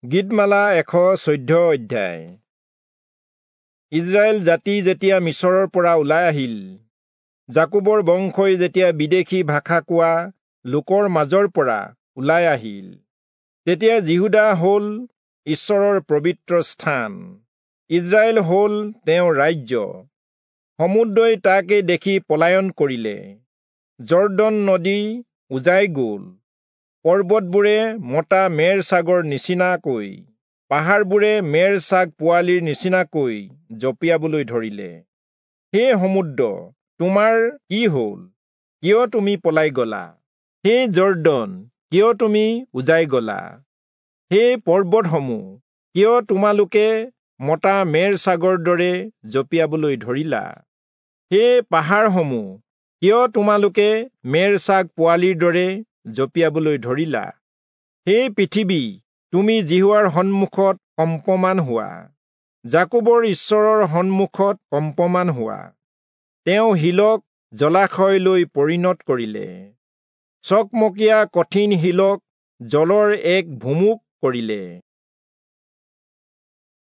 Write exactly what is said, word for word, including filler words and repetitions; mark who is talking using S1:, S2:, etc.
S1: গীতমালা এশ চৈধ্য অধ্যায়। ইজৰাইল জাতি যেতিয়া মিচৰৰ পৰা ওলাই আহিল, যাকোবৰ বংশই যেতিয়া বিদেশী ভাষা কোৱা লোকৰ মাজৰ পৰা ওলাই আহিল, তেতিয়া যিহূদা হ'ল ঈশ্বৰৰ পবিত্ৰ স্থান, ইজৰাইল হ'ল তেওঁৰ ৰাজ্য। সমুদ্ৰই তাকে দেখি পলায়ন কৰিলে, যৰ্দন নদী উজাই গ'ল। পৰ্বতবোৰে মতা মেৰ ছাগৰ নিচিনাকৈ, পাহাৰবোৰে মেৰ ছাগ পোৱালিৰ নিচিনাকৈ জঁপিয়াবলৈ ধৰিলে। হে সমুদ্ৰ, তোমাৰ কি হ'ল? কিয় তুমি পলাই গলা? হে যৰ্দন, কিয় তুমি উজাই গলা? হে পৰ্বতসমূহ, কিয় তোমালোকে মতা মেৰ ছাগৰ দৰে জঁপিয়াবলৈ ধৰিলা? হে পাহাৰসমূহ, কিয় তোমালোকে মেৰ ছাগ পোৱালিৰ দৰে জঁপিয়াবলৈ ধৰিলা? হে পৃথিৱী, তুমি যিহোৱাৰ সন্মুখত কম্পমান হোৱা, যাকোবৰ ঈশ্বৰৰ সন্মুখত কম্পমান হোৱা। তেওঁ শিলক জলাশয়লৈ পৰিণত কৰিলে, চকমকীয়া কঠিন শিলক জলৰ এক ভুমুক কৰিলে।